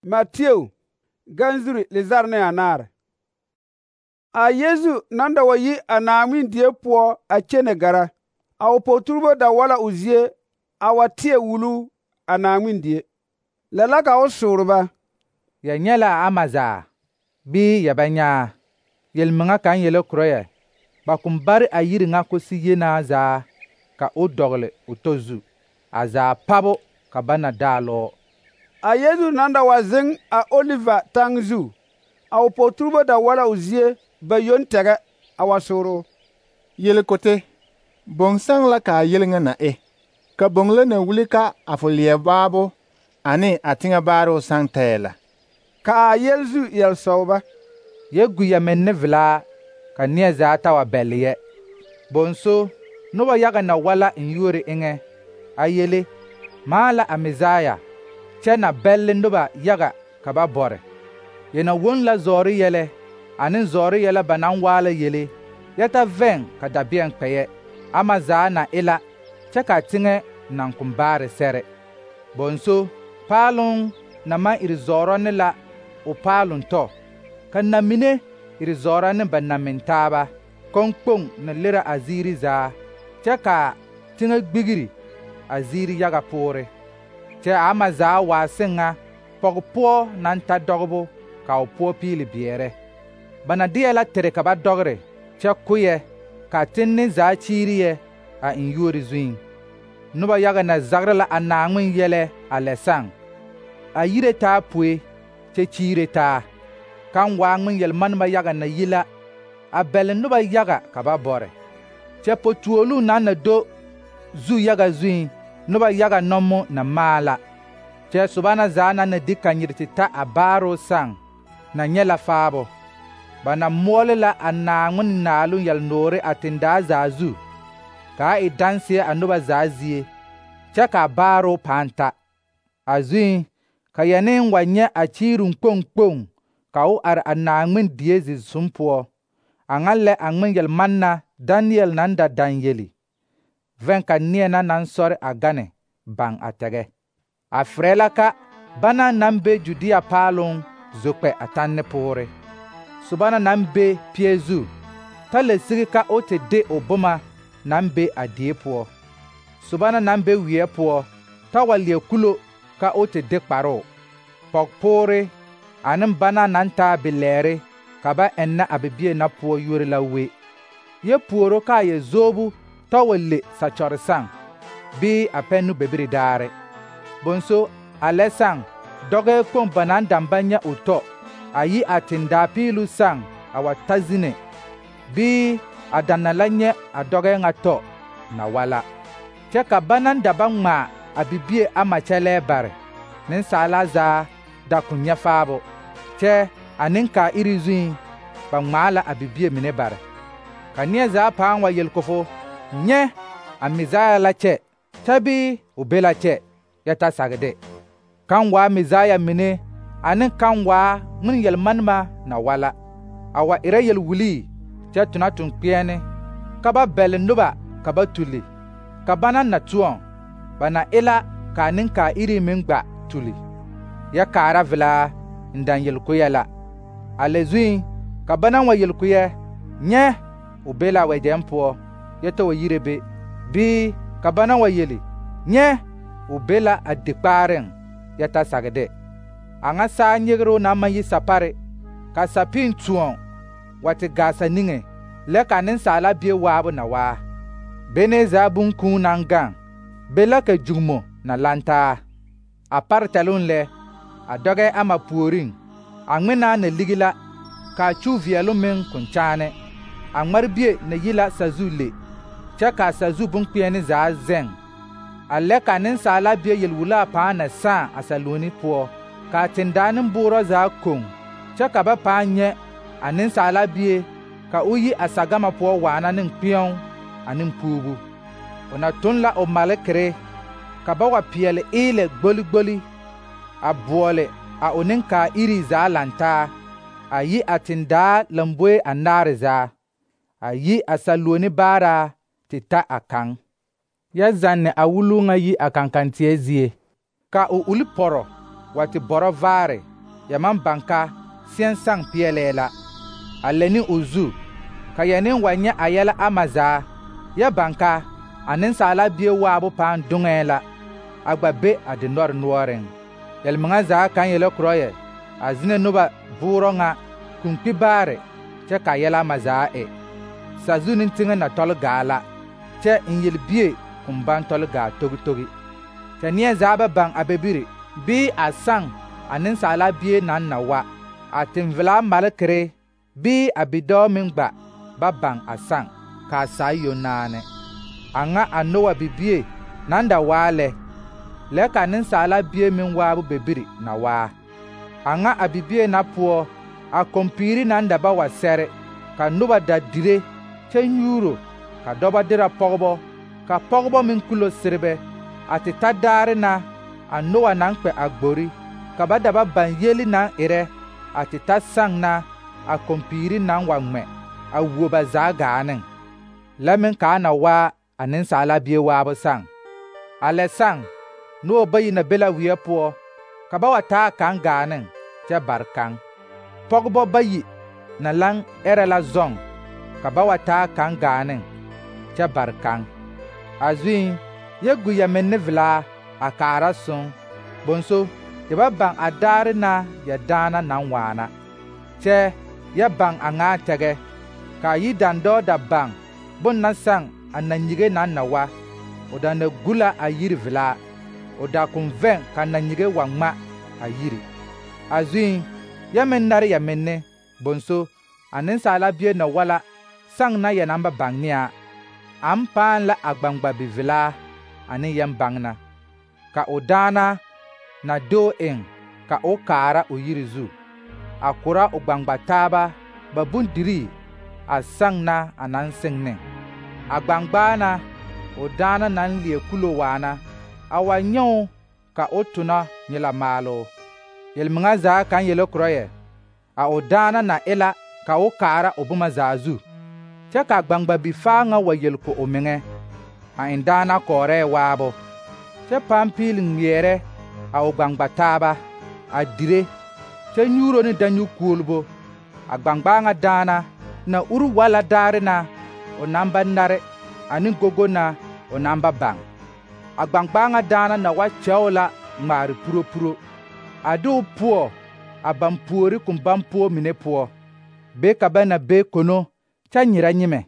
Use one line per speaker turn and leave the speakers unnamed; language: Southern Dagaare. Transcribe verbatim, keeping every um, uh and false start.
Mateo ganzuri lizar ne anaare. A Yesu naŋ da wa yi a Naawmin die poɔ a kyene gara, a o pɔgɔtuurebo da wala o zie a wa teɛ wuluu a Naawmin die. Lɛ la ka o soore ba:
Ya nyɛ la a ama zaa, bɩ ya bɛ nyɛ a? Yel-mɩŋa kaŋ yele kʋrɔ yɛ, ba kɔŋ bare a yiri ŋa kusi yenaa zaa ka o dɔgele o tɔ zu, a zaa pabo ka ba na daalɔɔ.
A Yesu naŋ da wa zeŋ a Oliva taŋ zu, a o pɔgɔtuurebo da wala o zie ba yoŋ tɛgɛ a wa soore o:
Yelkote, boŋ saŋ la ka a yel ŋa na e? Ka boŋ la na wuli ka a fo leɛ baabo ane a teŋɛ baaroo saŋ tɛɛ la?
Ka a yel zu yel-sɔɔ ba:
Yɛ gu ya menne velaa ka neɛ zaa ta wa bɛlle yɛ. Bonso, noba yaga na wala n yuori eŋɛ a yele: maa la a Mesaya, kyɛ na bɛlle noba yaga ka ba bɔre. Yɛ na woŋ la zɔɔre yɛlɛ ane zɔɔre yɛlɛ ba naŋ waa la yele, yɛ ta vɛŋ ka dabeɛŋ kpɛyɛ, ama zaa na e la, kyɛ ka teŋɛ naŋ kɔŋ baare sɛre. Bonso, paaloŋ na maŋ iri zɔɔrɔ ne la o paaloŋ tɔ, ka na-mine iri zɔɔrɔ ne ba na-min taaba, kɔŋkpoŋ na lera a ziiri zaa, kyɛ ka teŋɛ gbigiri a ziiri yaga poore. Kyɛ a ama zaa waa seŋ ŋa pɔge poɔ naŋ ta dɔgebo ka o poɔ piili beɛrɛ. Ba na deɛ la tere ka ba dɔgere, kyɛ koyɛ, ka tenne zaa kyiiri yɛ a eŋ yuori zuiŋ. Noba yaga na zagere la a Naawmin yɛlɛ a lɛ saŋ, a yire taa poe kyɛ kyiire taa. Kaŋ waa ŋmen yel-manema yaga na yi la, a bɛle noba yaga ka ba bɔre. Kyɛ po-tuoluŋ naŋ na do zu yaga zuiŋ, noba yaga nɔmo na maa la. Kyɛ soba na zaa naŋ na di kanyir te ta a baaroo saŋ na nyɛ la faabo. Ba na moɔle la a Naawmin naaloŋ yel-noore a tendaa zaa zu, kaa e danseɛ a noba zaa zie, kyɛ ka a baaroo pãã ta. A zuiŋ, ka yɛneŋ wa nyɛ a kyiiruŋ kpoŋ kpoŋ ka o are a Naawmin die zi-zum poɔ. A ŋa lɛ a ŋmen yel-manna Daniyɛl naŋ da daŋ yeli, vɛŋ ka neɛ na naŋ sɔre a gane baŋ a tɛgɛ. A ferɛ la ka bana naŋ be Judia paaloŋ zo kpɛ a tanne poore. Soba na naŋ be pie zu, ta la sigi ka o te de o boma naŋ be a die poɔ. Soba na naŋ be weɛ poɔ, ta wa leɛ kulo ka o te de kparoo. Pɔgepoore ane bana naŋ taa bilɛɛre ka ba ennɛ a bibie na poɔ yuori la we. Yɛ puoro ka a yɛ zoobu ta wa le sakyɔre saŋ, bɩ a pɛnnu bebiri daare. Bonso, a lɛ saŋ, dɔgɛɛ kpoŋ ba naŋ daŋ ba nyɛ o tɔ, a yi a tendaa piilu saŋ a wa ta zine, bɩ a daŋ na la nyɛ a dɔgɛɛ ŋa tɔ na wala. Kyɛ ka ba naŋ da ba ŋmaa a bibie ama kyɛlɛɛ bare, nensaala zaa da kɔŋ nyɛ faabo. Kyɛ a nenkaa iri zuiŋ, ba ŋmaa la a bibie mine bare. Ka neɛ zaa pãã wa yel kofo: nyɛ, a Mesaya la kyɛ, kyɛ bɩ o be la kyɛ, yɛ ta sagede. Kaŋ waa Mesaya mine ane kaŋ waa ŋmen yel-manema na wala, a wa erɛ yel-wulii kyɛ tona toŋ-kpeɛne, ka ba bɛle noba ka ba tuli. Ka bana na toɔŋ, ba na e la ka a nenkaa iri meŋ gba tuli. Yɛ kaara velaa n daŋ yel-koyɛ la. A lɛ zuiŋ, ka bana wa yel-koyɛ: nyɛ, o be la wɛgyɛŋ poɔ, yɛ ta wa yire be. Bɩ ka bana wa yeli: nyɛ, o be la a dikpaareŋ, yɛ ta sagede. A ŋa saa nyegeroo naŋ maŋ yi sapare, ka sapiŋ toɔŋ wa te gaa sa niŋe, lɛ ka Nensaala Bie waabo na waa. Benee zaa boŋkũũ naŋ gaŋ, be la ka jugimo na lantaa. A pare tɛloŋ lɛ, a dɔgɛɛ ama puoriŋ, a ŋmenaa na ligi la, ka a kyuu veɛloŋ meŋ kɔŋ kyaane. A ŋmarbie na yi la sazu le, kyɛ ka a sazu boŋkpeɛne zaa zɛŋ. A lɛ ka Nensaala Bie yel-wulaa pãã na sãã a saluoni poɔ, ka a tendaa nemboorɔ zaa koŋ, kyɛ ka ba pãã nyɛ a Nensaala Bie ka o yi a sagama poɔ waana ne kpeɛo ane puubu. O na toŋ la o malekere, ka ba wa peɛle eelɛ gboli-gboli, a boɔle a o nenkaa iri zaa lantaa, a yi a tendaa lamboe anaare zaa, a yi a saluoni baaraa te ta a kaŋ. Yɛ zanne a wuluu ŋa yi a kankanteɛ zie, ka o uli pɔrɔ wa te bɔrɔ vaare ya maŋ baŋ ka sẽn saŋ peɛlɛɛ la, a lɛ ne o zu, ka ya ne wa nyɛ a yɛlɛ ama zaa, ya baŋ ka a Nensaala Bie waabo pãã doŋɛɛ la, a gba be a dinɔre noɔreŋ. Yel-mɩŋa zaa kaŋ yele korɔ yɛ a zĩnɛ noba bʋʋrɔ ŋa kũnkpi baare kyɛ ka yɛlɛ ama zaa e. Sazu ne teŋɛ na tɔle gaa la, kyɛ n yel-bie kõn baŋ tɔle gaa togi-togi. Kyɛ neɛ zaa ba baŋ a bebiri bii a saŋ a Nensaala Bie naŋ na wa, a tẽn-velaa malekere bii a bidɔɔ meŋ gba ba baŋ a saŋ, ka a saa yoŋ naane. A ŋa a Nowa bibie naŋ da waa lɛ, lɛ ka Nensaala Bie meŋ waabo bebiri na waa. A ŋa a bibie na poɔ, a kompiiri naŋ da ba wa sɛre, ka noba da dire kyɛ nyuuro, ka dɔbɔ derɛ pɔgebɔ, ka pɔgebɔ meŋ kulo serebɛ, a te ta daare na a Nowa naŋ kpɛ a gbori, ka ba da ba baŋ yeli naŋ erɛ, a te ta saŋ na a kompiiri naŋ wa ŋmɛ a wuo ba zaa gaa neŋ, lɛ meŋ kaa na waa a Nensaala Bie waabo saŋ. A lɛ saŋ, noba bayi na be la weɛ poɔ, ka ba wa taa kaŋ gaa neŋ kyɛ bare kaŋ. Pɔgebɔ bayi na laŋ ɛrɛ la zɔŋ, ka ba wa taa kaŋ gaa neŋ kyɛ bare kaŋ. A zuiŋ, yɛ gu ya menne velaa a kaara soŋ, bonso yɛ ba baŋ a daare na yɛ daana naŋ waana, kyɛ yɛ baŋ a ŋaa tɛgɛ, ka a yidandɔɔ da baŋ bon na saŋ a nanyige naŋ na wa, o da na gu la a yiri velaa, o da kõn vɛŋ ka nanyige wa ŋma a yiri. A zuiŋ, yɛ meŋ nare ya menne, bonso a Nensaala Bie na wa la saŋ na yɛ naŋ ba baŋ ne a, aŋ pãã la a gbaŋgba bivelaa ane yɛm-baŋna, ka o daana na doo eŋ ka o kaara o yiri zu, a kora o gbaŋgba taaba ba bondirii a saŋ na a naŋ seŋ neŋ. A gbaŋgbaa na o daana naŋ leɛ kulo waana, a wa nyɛ ka o tona nyɛ maaloo. Yel-mɩŋa zaa kaŋ yele korɔ yɛ a o daana na e la ka o kaara o boma zaa zu, kyɛ ka a gbaŋgba bifaa ŋa wa yel ko o meŋɛ, a eŋ daana kɔɔrɛɛ waabo, kyɛ pãã piili ŋmeɛrɛ a o gbaŋgba taaba, a dire, kyɛ nyuuro ne danyu-kuolbo. A gbaŋgbaa ŋa daana na uri wa la daare na o naŋ ba nare ane gogo na o naŋ ba baŋ. A gbaŋgbaa ŋa daana na wa kyɛo la ŋmaare puro-puro, a de o poɔ a baŋ puori kõn baŋ poɔ mine poɔ, be ka ba na be kono kyɛ nyerɛ nyemɛ.